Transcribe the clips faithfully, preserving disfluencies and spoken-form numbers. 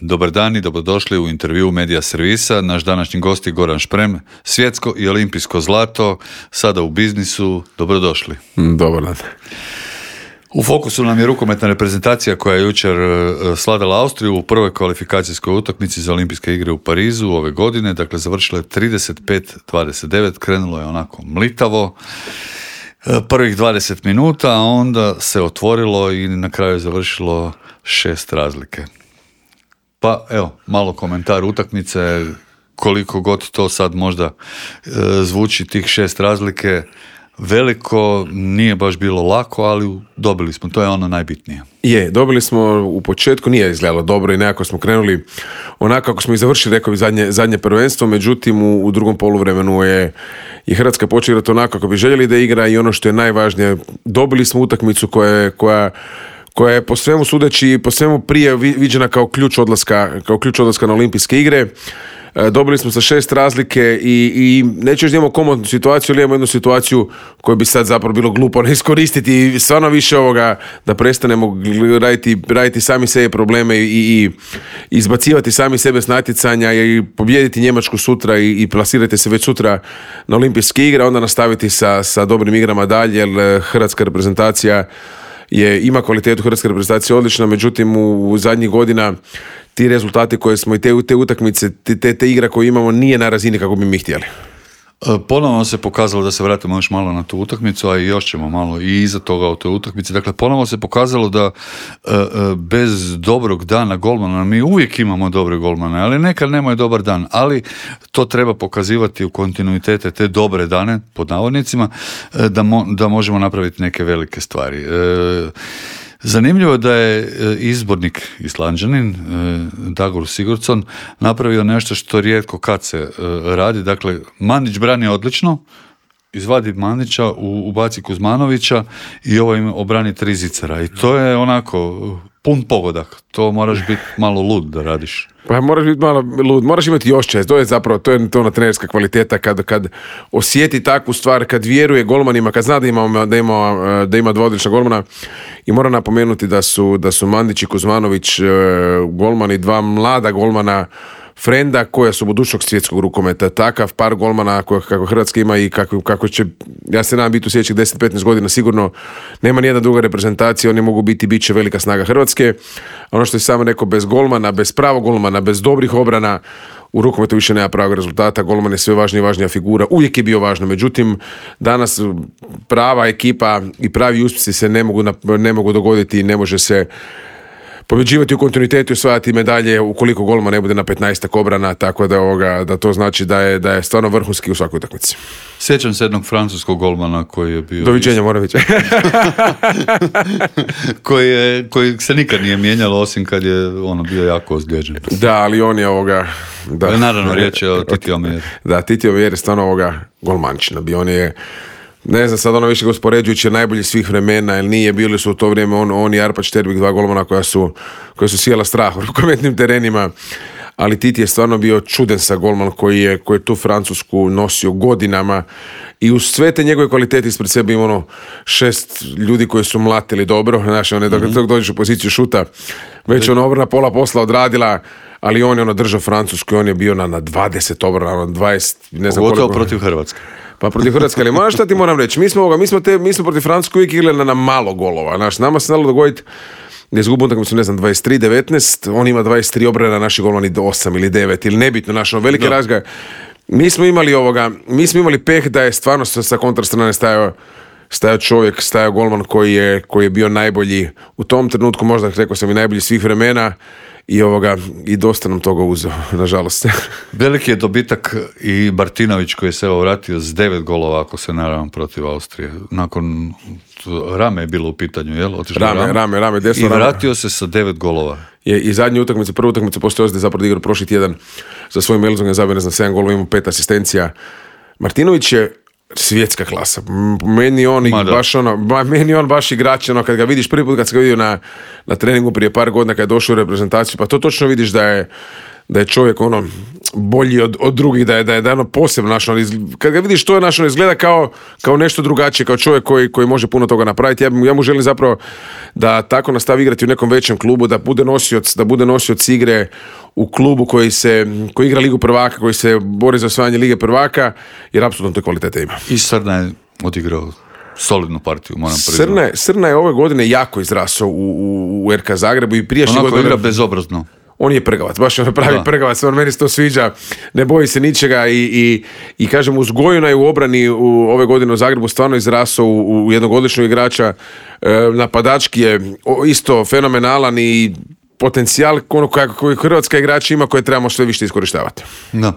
Dobar dan i dobrodošli u intervju Medija servisa. Naš današnji gost je Goran Šprem, svjetsko i olimpijsko zlato, sada u biznisu. Dobrodošli. Dobar dan. U fokusu nam je rukometna reprezentacija koja je jučer sladala Austriju u prvoj kvalifikacijskoj utakmici za olimpijske igre u Parizu ove godine. Dakle, završila je trideset pet dvadeset devet, krenulo je onako mlitavo. Prvih dvadeset minuta, a onda se otvorilo i na kraju je završilo šest razlike. Pa evo, malo komentar utakmice, koliko god to sad možda e, zvuči tih šest razlike veliko, nije baš bilo lako, ali dobili smo, to je ono najbitnije. Je, dobili smo u početku, nije izgledalo dobro i nekako smo krenuli onako kako smo i završili, rekao bi, zadnje, zadnje prvenstvo, međutim u, u drugom poluvremenu je, je Hrvatska počela igrati onako kako bi željeli da igra i ono što je najvažnije, dobili smo utakmicu koja, koja koja je po svemu sudeći, po svemu prije viđena kao ključ odlaska, kao ključ odlaska na olimpijske igre. E, dobili smo sa šest razlike i, i neću još da imamo komodnu situaciju, ali imamo jednu situaciju koju bi sad zapravo bilo glupo ne iskoristiti i stvarno više ovoga da prestanemo raditi, raditi sami sebi probleme i, i izbacivati sami sebe s natjecanja i pobijediti Njemačku sutra i, i plasirati se već sutra na olimpijske igre, onda nastaviti sa, sa dobrim igrama dalje, jer hrvatska reprezentacija je, ima kvalitetu hrvatske reprezentacije odlična, međutim u, u zadnjih godina ti rezultati koje smo i te, te utakmice, te, te igre koje imamo nije na razini kako bi mi htjeli. Ponovno se pokazalo, da se vratimo još malo na tu utakmicu, a i još ćemo malo i iza toga u toj utakmici. Dakle, ponovno se pokazalo da bez dobrog dana golmana, mi uvijek imamo dobre golmane, ali nekad nemaju dobar dan, ali to treba pokazivati u kontinuitete te dobre dane, pod navodnicima, da, mo, da možemo napraviti neke velike stvari. Zanimljivo je da je izbornik Islanđanin Dagur Sigurdsson napravio nešto što rijetko kad se radi. Dakle, Mandić brani odlično, izvadi Mandića, ubaci Kuzmanovića i ovo im obrani tri zicara. I to je onako pun pogodak. To moraš biti malo lud da radiš. Pa moraš biti malo lud, moraš imati još čest. To je zapravo, to je to ona trenerska kvaliteta kad, kad osjeti takvu stvar, kad vjeruje golmanima, kad zna da ima, da ima, da ima dva odlična golmana. I moram napomenuti da su, da su Mandić i Kuzmanović golmani, dva mlada golmana frenda koja su budućnog svjetskog rukometa. Takav par golmana kako Hrvatska ima i kako, kako će, ja se nadam, biti u sljedećih deset do petnaest godina sigurno, nema nijedna druga reprezentacija, oni mogu biti, bit će velika snaga Hrvatske. Ono što je samo rekao, bez golmana, bez pravog golmana, bez dobrih obrana, u rukometu više nema pravog rezultata. Golman je sve važnija i važnija figura, uvijek je bio važno, međutim danas prava ekipa i pravi uspjesi se ne mogu, ne mogu dogoditi i ne može se pobjeđivati u kontinuitetu i osvajati medalje ukoliko golman ne bude na petnaestak obrana, tako da, ovoga, da to znači da je, da je stvarno vrhunski u svakoj utakmici. Sjećam se jednog francuskog golmana koji je bio... Doviđenja, Moravić. koji, je, koji se nikad nije mijenjalo, osim kad je ono bio jako ozlijeđen. Da, ali on je ovoga... Da, naravno, riječ je o Titi Omijer. Da, Titi Omijer je stvarno ovoga golmančina. Bi on je... Ne znam sad ono više uspoređujući najbolji svih vremena, jer nije, bili su u to vrijeme on, on i Arpad Šterbik, dva golmana koja su, koja su sjela strah u rukometnim terenima, ali Titi je stvarno bio čuden sa golman koji je, koji je tu Francusku nosio godinama i uz sve te njegove kvalitete ispred sebe ima ono šest ljudi koji su mlatili dobro, znaš, on je dok mm-hmm. dođeš u poziciju šuta, već ono obrana pola posla odradila, ali on je ono držao Francusku i on je bio na, na dvadeset obrana, na dvadeset, ne znam pogotovo koliko. Protiv Hrvatske. Pa protiv Hrvatske, ali moja šta ti moram reći, mi smo, ovoga, mi smo, te, mi smo protiv Francuske uvijek igrali na, na malo golova, znaš, nama se znalo dogoditi da izgubu utakmicu, ne znam, dvadeset tri devetnaest, on ima dvadeset tri obrana, naši golmani osam ili devet ili nebitno, naš ono velike razga. Mi smo imali ovoga, mi smo imali peh da je stvarno sa, sa kontrastrane stajao stajao čovjek, stajao golman koji je, koji je bio najbolji u tom trenutku, možda rekao sam i najbolji svih vremena. I ovoga, i dosta nam toga uzeo, nažalost. Veliki je dobitak i Martinović koji se evo vratio s devet golova, ako se naravno, protiv Austrije. Nakon Rame je bilo u pitanju, jel? Otišlo Rame, Rame, Rame, Rame, desno I vratio Rame. se sa devet golova. Je, i zadnje utakmice, prva utakmica postoje ozde zapravo igrao prošli tjedan za svojim Elzongom, zabio ne znam sedam golova, imao pet asistencija. Martinović je svjetska klasa. Meni on i baš ono, meni on baš igrač, ono, kad ga vidiš prvi put, kad se ga vidio na, na treningu prije par godina kad je došao u reprezentaciju, pa to točno vidiš da je, da je čovjek ono, bolji od, od drugih, da je, da je, da je ono posebno naš, kad ga vidiš to je naš, izgleda kao, kao nešto drugačije, kao čovjek koji, koji može puno toga napraviti. Ja, ja mu želim zapravo da tako nastavi igrati u nekom većem klubu, da bude nosioc, da bude nosioc igre u klubu koji se, koji igra Ligu prvaka, koji se bori za osvajanje Lige prvaka, jer apsolutno te kvalitete ima. I Srna je odigrao solidnu partiju, moram priznati. Srna, Srna je ove godine jako izrasao u, u, u R K Zagrebu i prijašnje godine... godine... igra bezobrazno. On je prgavac, baš ono pravi da. prgavac, on meni se to sviđa, ne boji se ničega i, i, i kažem, uzgojeno je u obrani u ove godine u Zagrebu stvarno izrasao u, u jednog odličnog igrača, e, napadački je isto fenomenalan i potencijal ono koji hrvatska igrača ima koje trebamo sve više iskorištavati. Da.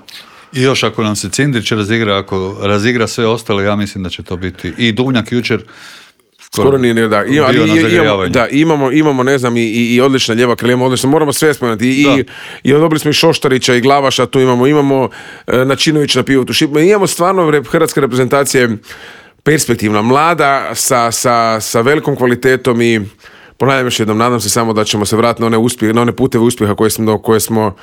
I još ako nam se Cindrić razigra, ako razigra sve ostalo, ja mislim da će to biti i Duvnjak jučer skoro nije, ne, da. I, ali, i, imamo, da, imamo, imamo, ne znam, i, i, i odlična lijeva krila, odlično, moramo sve spomenuti. I, i, i odobili smo i Šoštarića i Glavaša, tu imamo, imamo e, Načinović na pivotu. Imamo stvarno hrvatske reprezentacije perspektivna, mlada, sa, sa, sa velikom kvalitetom i ponavljam još jednom, nadam se samo da ćemo se vratiti na one, uspjeh, na one puteve uspjeha koje smo, koje smo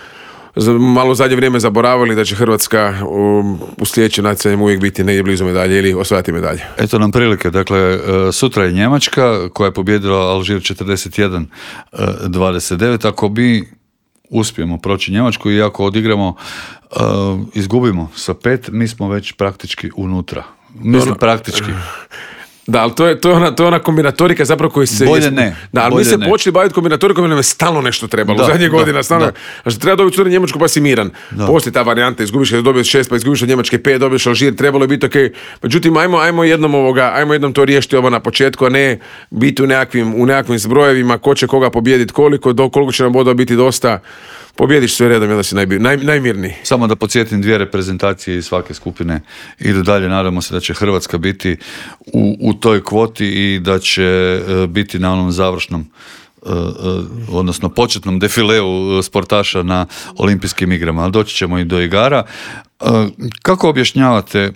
malo u zadnje vrijeme zaboravili, da će Hrvatska u, u sljedećem natjecanju uvijek biti negdje blizu medalje ili osvajati medalje. Eto nam prilike, dakle sutra je Njemačka koja je pobijedila Alžir četrdeset jedan dvadeset devet. Ako mi uspijemo proći Njemačku i ako odigramo uh, izgubimo sa pet, mi smo već praktički unutra. Mislim ono, praktički. Da, ali to je, to je, ona, to je ona kombinatorika zapravo koji se... Bolje ne. Da, ali mi se ne. počeli baviti kombinatorikom jer nam je stalno nešto trebalo. Da, u zadnje godine stalno... Znači, treba dobiti sutra Njemačku pa si miran. Da. Poslije ta varijanta, izgubiš kada dobiješ šest, pa izgubiš od Njemačke pet, dobiješ Alžir, trebalo je biti ok. Međutim, ajmo, ajmo, jednom ovoga, ajmo jednom to riješiti ovo na početku, a ne biti u nekakvim, u nekakvim zbrojevima ko će koga pobijediti, koliko, do koliko će nam bodova biti dosta. Pobjediš sve redom i onda si naj, naj, najmirniji. Samo da podsjetim, dvije reprezentacije iz svake skupine idu dalje. Nadamo se da će Hrvatska biti u, u toj kvoti i da će uh, biti na onom završnom uh, uh, odnosno početnom defileu sportaša na olimpijskim igrama. Ali doći ćemo i do igara. Uh, kako objašnjavate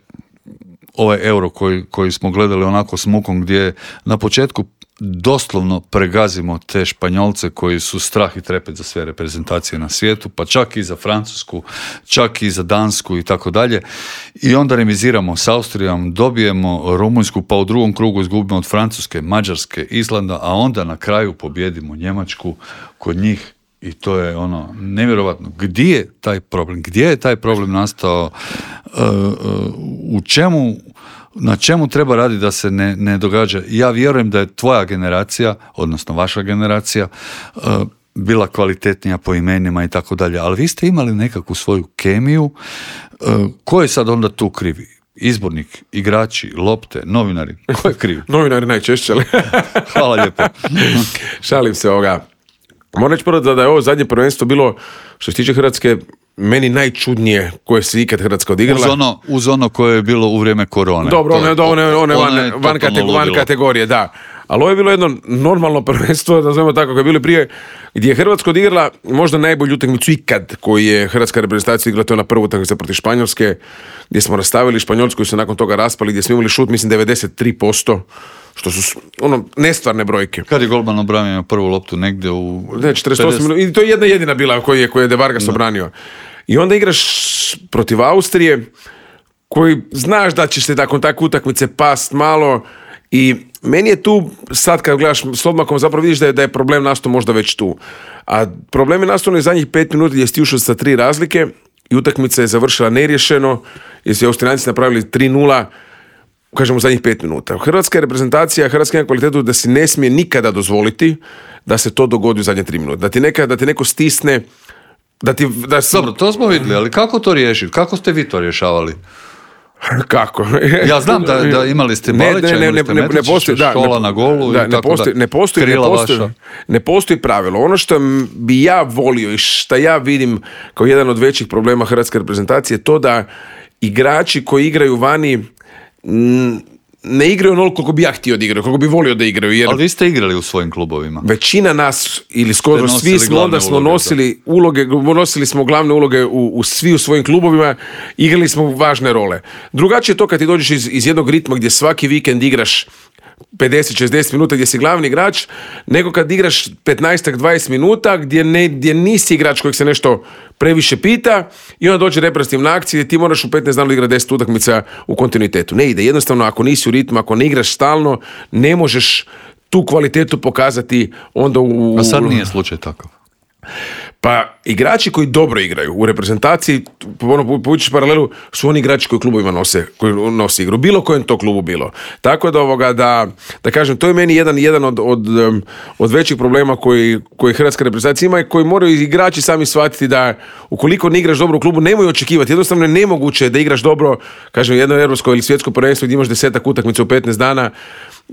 ovaj euro koji, koji smo gledali onako s mukom, gdje na početku doslovno pregazimo te Španjolce koji su strah i trepet za sve reprezentacije na svijetu, pa čak i za Francusku, čak i za Dansku i tako dalje. I onda remiziramo s Austrijom, dobijemo Rumunjsku, pa u drugom krugu izgubimo od Francuske, Mađarske, Islanda, a onda na kraju pobjedimo Njemačku kod njih. I to je ono nevjerovatno. Gdje je taj problem? Gdje je taj problem nastao? Uh, uh, u čemu... Na čemu treba raditi da se ne, ne događa? Ja vjerujem da je tvoja generacija, odnosno vaša generacija, uh, bila kvalitetnija po imenima i tako dalje, ali vi ste imali nekakvu svoju kemiju. Uh, ko je sad onda tu krivi? Izbornik, igrači, lopte, novinari? Ko je kriv? Novinari najčešće, ali... Hvala lijepo. Šalim se ovoga. Moram reći prvo da, da je ovo zadnje prvenstvo bilo, što se tiče Hrvatske, meni najčudnije koje se ikad Hrvatska odigrala. Uz ono, uz ono koje je bilo u vrijeme korone. Dobro, one, to, one, one van, je van, kategor, van kategorije, da. Ali ovo je bilo jedno normalno prvenstvo, da znamo tako, kako je bilo prije, gdje je Hrvatska odigrala možda najbolju utakmicu ikad koju je hrvatska reprezentacija igrala, to je na prvu utakmicu protiv Španjolske, gdje smo rastavili Španjolsku koji su nakon toga raspali, gdje smo imali šut, mislim, devedeset tri posto, što su ono nestvarne brojke. Kad je golman obranio prvu loptu negdje u... Ne, četrdeset osam minuta, i to je jedna jedina bila koju je, koju je De Vargas no. obranio. I onda igraš protiv Austrije, koji znaš da ćeš se nakon takve utakmice past malo, i meni je tu, sad kad gledaš s odmakom, zapravo vidiš da je, da je problem nastao možda već tu. A problem je nastao na zadnjih pet minuta gdje si ušao sa tri razlike i utakmica je završila neriješeno, jer su Austrijanci napravili tri nula, kažemo, u zadnjih pet minuta. Hrvatska reprezentacija, Hrvatska ima kvalitetu da si ne smije nikada dozvoliti da se to dogodi u zadnje tri minuta. Da ti, neka, da ti neko stisne, da ti... Da si... Dobro, to smo vidjeli, ali kako to riješiti? Kako ste vi to rješavali? Kako? Ja znam da, da imali ste Balića, imali ste Metričića, ne Škola na golu da, i tako ne postoji, da, ne postoji, ne postoji, ne postoji pravilo. Ono što bi ja volio i što ja vidim kao jedan od većih problema hrvatske reprezentacije je to da igrači koji igraju vani ne igraju onoliko koliko bi ja htio da igraju, koliko bi volio da igraju. Jer ali vi ste igrali u svojim klubovima. Većina nas, ili skoro svi smo, onda smo uloge, nosili da. uloge, nosili smo glavne uloge u, u svi u svojim klubovima, igrali smo važne role. Drugačije je to kad ti dođeš iz, iz jednog ritma gdje svaki vikend igraš pedeset šezdeset minuta gdje si glavni igrač, nego kad igraš petnaest do dvadeset minuta gdje, ne, gdje nisi igrač kojeg se nešto previše pita i onda dođe reprezentativna akcija gdje ti moraš u petnaest dana igrati deset utakmica u kontinuitetu. Ne ide, jednostavno ako nisi u ritmu, ako ne igraš stalno, ne možeš tu kvalitetu pokazati onda u... A sad nije slučaj takav. Pa igrači koji dobro igraju u reprezentaciji, ono, povučiš paralelu, su oni igrači koji klubovima nose, koji nose igru, bilo kojem to klubu bilo. Tako da ovoga, da, da kažem, to je meni jedan, jedan od, od, od većih problema koji, koji hrvatska reprezentacija ima i koji moraju igrači sami shvatiti da ukoliko ne igraš dobro u klubu, nemoj očekivati. Jednostavno je nemoguće da igraš dobro, kažem, jedno europsko ili svjetsko prvenstvo gdje imaš desetak utakmica u petnaest dana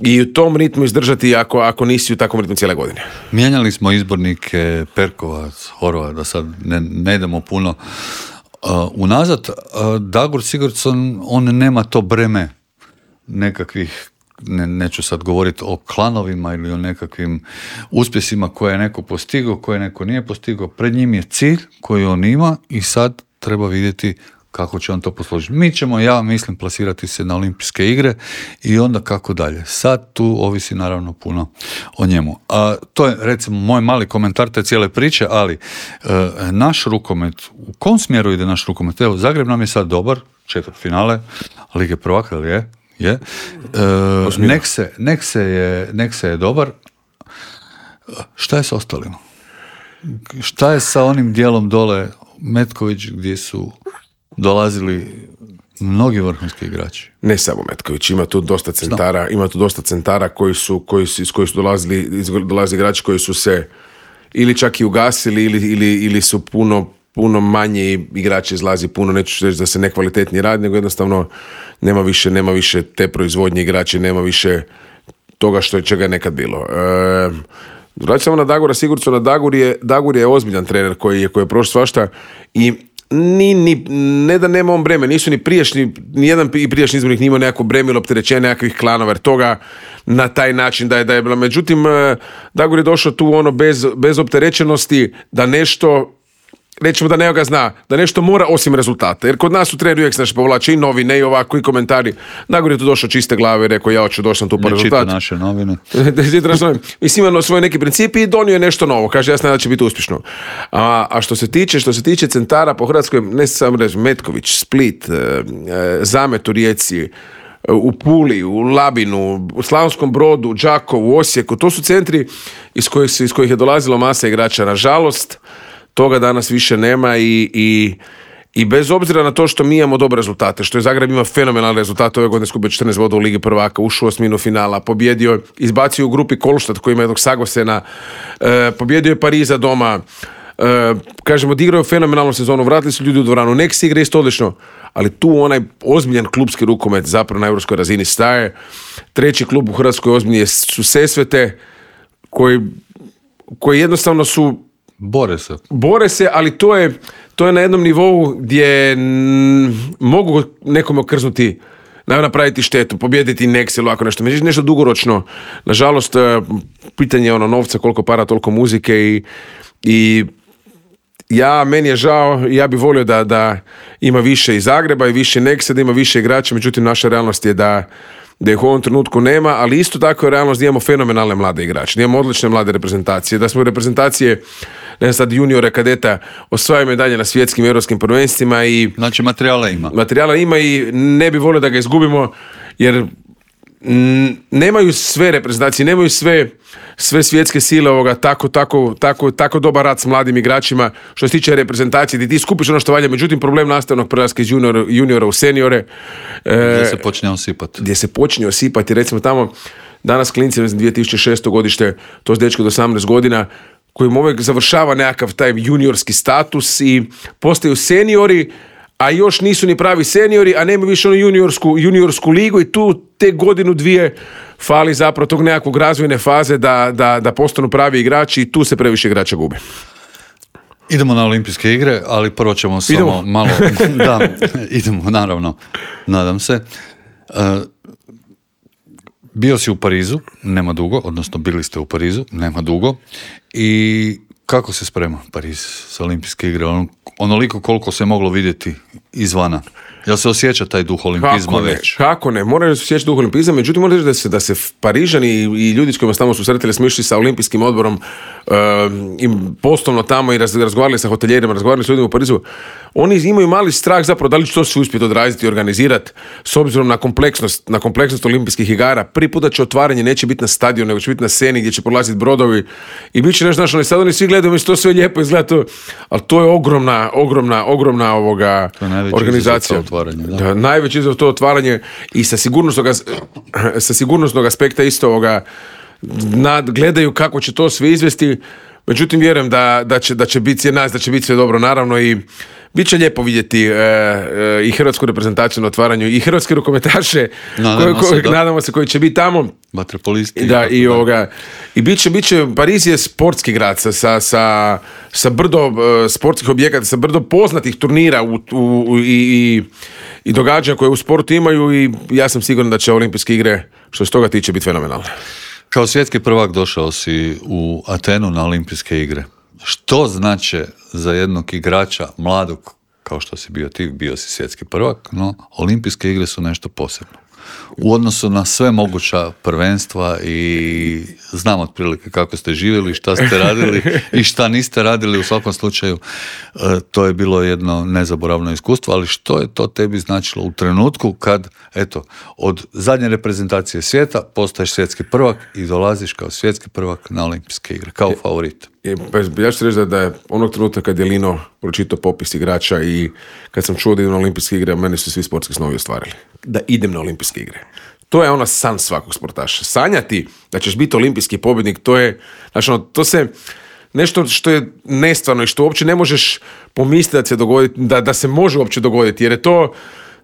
i u tom ritmu izdržati ako, ako nisi u takvom ritmu cijele godine. Mijenjali smo izbornike Perkovac, Horvat, da sad ne, ne idemo puno uh, unazad. Uh, Dagur Sigurdsson, on nema to breme nekakvih, ne, neću sad govoriti o klanovima ili o nekakvim uspjesima koje je neko postigao, koje neko nije postigao. Pred njim je cilj koji on ima i sad treba vidjeti kako će on to posložiti. Mi ćemo, ja mislim, plasirati se na olimpijske igre i onda kako dalje. Sad tu ovisi naravno puno o njemu. A, to je recimo moj mali komentar te cijele priče, ali e, naš rukomet, u kom smjeru ide naš rukomet? Evo, Zagreb nam je sad dobar, četvrt finale, Lige prvaka, ali je? je. E, nek, se, nek, se je, nek se je dobar. Šta je s ostalima? Šta je sa onim dijelom dole Metković gdje su dolazili mnogi vrhunski igrači? Ne samo Metković, ima tu dosta centara, ima tu dosta centara koji su, koji su, iz kojih su dolazili, iz, dolazili igrači koji su se ili čak i ugasili ili, ili, ili su puno, puno manje igrači izlazi, puno, neću reći da se nekvalitetni radi, nego jednostavno nema više, nema više te proizvodnje igrači, nema više toga što je čega je nekad bilo. E, vraćamo samo na Dagura Sigurdssona. Dagur je, Dagur je ozbiljan trener koji je, koji je prošao svašta i Ni, ni, ne da nema on breme, nisu ni prijašnji, ni jedan i prijašnji izbornik nije imao nekako breme ili opterećenje nekakvih klanova, jer toga na taj način da je, da je bilo. Međutim, Dagur je došao tu ono bez, bez opterećenosti da nešto, rećemo da ne ga zna, da nešto mora osim rezultata. Jer kod nas u treneri uvijek se naše povlače i novine i ovako i komentari. Dagur je tu došao čiste glave i rekao ja hoću došao tu po rezultat. Ne čita naše novine. Mislim, imao svoje neki principi i donio je nešto novo. Kaže, jasno da će biti uspješno. A, a što se tiče, što se tiče centara po Hrvatskoj, ne samo reći, Metković, Split, e, e, Zamet u Rijeci, u Puli, u Labinu, u Slavonskom Brodu, u Đakovu, u Osijeku, to su centri iz kojih, iz kojih je dolazilo masa igrača. Nažalost, toga danas više nema i, i, i bez obzira na to što mi imamo dobre rezultate, što je Zagreb ima fenomenalne rezultate, ove godine skupio četrnaest bodova u Ligi prvaka, ušao u osminu finala, pobjedio, izbacio u grupi Kolštad koji ima jednog Sagosena, e, pobjedio je Pariza doma, e, kažemo, odigrao je fenomenalnu sezonu, vratili su ljudi u dvoranu, nek se igra isto odlično, ali tu onaj ozbiljan klubski rukomet zapravo na europskoj razini staje. Treći klub u Hrvatskoj ozbiljnije su Sesvete, koji, koji jednostavno su Bore se. Bore se, ali to je, to je na jednom nivou gdje m, mogu nekome okrznuti, napraviti štetu, pobijediti Nex ili ovako nešto. Međutim, nešto dugoročno. Nažalost, pitanje je ono novca, koliko para, toliko muzike i, i ja, meni je žao, ja bih volio da, da ima više i Zagreba i više Nexa, da ima više igrača, međutim, naša realnost je da da ih u ovom trenutku nema, ali isto tako je realnost da imamo fenomenalne mlade igrače, da imamo odlične mlade reprezentacije, da smo reprezentacije, ne znam sad, juniore, kadeta, osvajaju medalje na svjetskim europskim prvenstvima i... Znači materijala ima. Materijala ima i ne bi volio da ga izgubimo, jer m, nemaju sve reprezentacije, nemaju sve, sve svjetske sile ovoga, tako, tako, tako, tako dobar rad s mladim igračima, što se tiče reprezentacije, gdje ti skupiš ono što valja, međutim problem nastavnog prelaska iz juniora, juniora u seniore. Gdje se počne osipati. Gdje se počne osipati, recimo tamo, danas klinci, dvije tisuće šesto godište, to je dečko do osamnaest godina, kojim uvijek završava nekakav taj juniorski status i postaju seniori, a još nisu ni pravi seniori, a nema više onu juniorsku, juniorsku ligu i tu te godinu dvije fali zapravo tog nekakvog razvojne faze da, da, da postanu pravi igrači i tu se previše igrača gubi. Idemo na olimpijske igre, ali prvo ćemo samo idemo. malo... Da, idemo, naravno, nadam se. Uh, bio si u Parizu, nema dugo, odnosno bili ste u Parizu, nema dugo, i kako se sprema Pariz sa olimpijske igre? On, onoliko koliko se moglo vidjeti izvana. Jel se osjeća taj duh olimpizma kako ne, već? Kako ne, moraju se osjećati duh olimpizma, međutim moram reći da se, da se Parižani i ljudi s kojima smo susretili smo išli sa olimpijskim odborom uh, i poslovno tamo i raz, razgovarali sa hoteljerima, razgovarali s ljudima u Parizu, oni imaju mali strah zapravo da li će to se uspjeti odraziti i organizirati s obzirom na kompleksnost, na kompleksnost olimpijskih igara. Prvi put da će otvaranje neće biti na stadionu, nego će biti na sceni gdje će prolaziti brodovi i bit će nešto našo, ali sad oni svi gledaju, mislim, to sve lijepo izgleda, to, ali to je ogromna, ogromna, ogromna ovoga organizacija. Da. Da, najveći izazov to otvaranje i sa sigurnosnog, sa sigurnosnog aspekta isto ovoga nad, gledaju kako će to sve izvesti, međutim vjerujem da, da će, da će biti nas, da će biti sve dobro naravno i bit će lijepo vidjeti e, e, i hrvatsku reprezentaciju na otvaranju i hrvatske rukometaše nadamo, koji, se, koji, nadamo se koji će biti tamo. Vaterpolisti. Da, i, ovoga, i bit će, bit će, Pariz je sportski grad sa, sa, sa, sa brdo uh, sportskih objekata, sa brdo poznatih turnira u, u, u, i, i, i događanja koje u sportu imaju i ja sam siguran da će olimpijske igre što se toga tiče biti fenomenalne. Kao svjetski prvak došao si u Atenu na olimpijske igre. Što znači za jednog igrača mladog, kao što si bio ti, bio si svjetski prvak, no olimpijske igre su nešto posebno. U odnosu na sve moguća prvenstva i znam otprilike kako ste živjeli, šta ste radili i šta niste radili, u svakom slučaju to je bilo jedno nezaboravno iskustvo, ali što je to tebi značilo u trenutku kad, eto, od zadnje reprezentacije svijeta postaješ svjetski prvak i dolaziš kao svjetski prvak na olimpijske igre, kao favorit? Ja ću reći da, da je onog trenutka kad je Lino pročitao popis igrača i kad sam čuo da idem na olimpijske igre, meni su svi sportski snovi ostvarili. Da idem na olimpijske igre. To je ono san svakog sportaša. Sanjati da ćeš biti olimpijski pobjednik, to je, znači ono, to se, nešto što je nestvarno i što uopće ne možeš pomisliti da se dogodi, da, da se može uopće dogoditi, jer je to,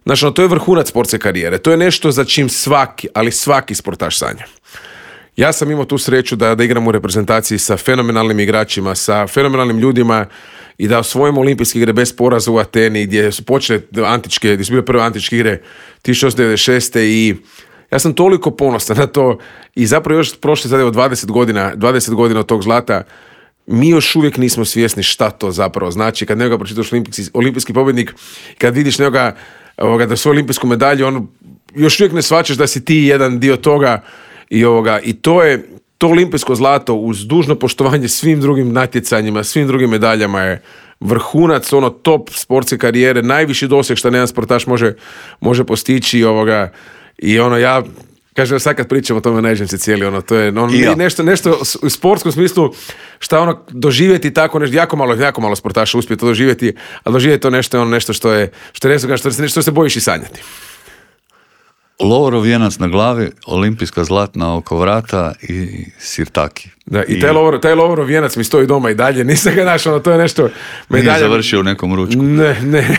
znači ono, to je vrhunac sportske karijere. To je nešto za čim svaki, ali svaki sportaš sanja. Ja sam imao tu sreću da, da igram u reprezentaciji sa fenomenalnim igračima, sa fenomenalnim ljudima i da osvojimo olimpijske igre bez poraza u Ateni gdje su počele antičke, gdje su bile prve antičke igre tisuću osamsto devedeset šeste i ja sam toliko ponosan na to i zapravo još prošle sad evo dvadeset godina, dvadeset godina od tog zlata mi još uvijek nismo svjesni šta to zapravo znači kad nekoga pročitaš olimpijski, olimpijski pobjednik, kad vidiš nekoga ovoga, da svoju olimpijsku medalju, on još uvijek ne shvaćaš da si ti jedan dio toga. I, ovoga, i to je to olimpijsko zlato uz dužno poštovanje svim drugim natjecanjima, svim drugim medaljama je vrhunac, ono top sportske karijere, najviši doseg što jedan sportaš može, može postići ovoga, i ono ja kažem sad kad pričam o tome nađem se cijeli ono, to je ono, ja. nešto, nešto u sportskom smislu šta ono doživjeti tako nešto, jako malo, jako malo sportaša uspije to doživjeti, ali doživjeti to nešto, ono, nešto što je što je što, što, što se bojiš i sanjati. Lovorov vijenac na glavi, olimpijska zlatna oko vrata i sirtaki. Da, i, I taj, lovor, taj Lovorov vijenac mi stoji doma i dalje, nisam ga našao, ono, to je nešto... Medalja... Nije završio u nekom ručku. Ne, ne.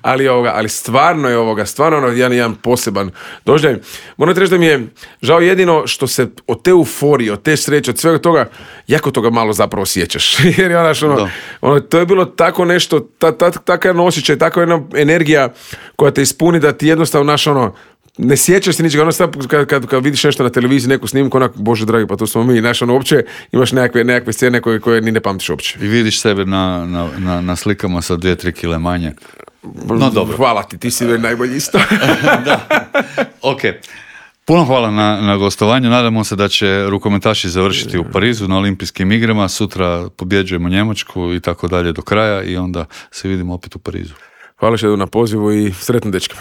ali, ovoga, ali stvarno je ovoga, stvarno ono jedan, jedan poseban doživljaj. Moram reći da mi je žao jedino što se od te euforije, od te sreće, od svega toga, jako toga malo zapravo sjećaš. Jer je onaš, ono, ono, to je bilo tako nešto, ta, ta, takav jedan osjećaj, takva jedna energija koja te ispuni da ti jednostavno naš ono, ne sjećaš se ničega, ono sad kad, kad, kad vidiš nešto na televiziji, neku snimku, onak, bože dragi, pa to smo mi, znaš, ono, uopće imaš nekakve, nekakve scene koje, koje ni ne pamtiš uopće. I vidiš sebe na, na, na, na slikama sa dvije, tri kile manje. No dobro. Hvala ti, ti si najbolji isto. Da, ok. Puno hvala na, na gostovanju, nadamo se da će rukometaši završiti u Parizu na olimpijskim igrama, sutra pobjeđujemo Njemačku i tako dalje do kraja i onda se vidimo opet u Parizu. Hvala što na pozivu i sretno dečkima.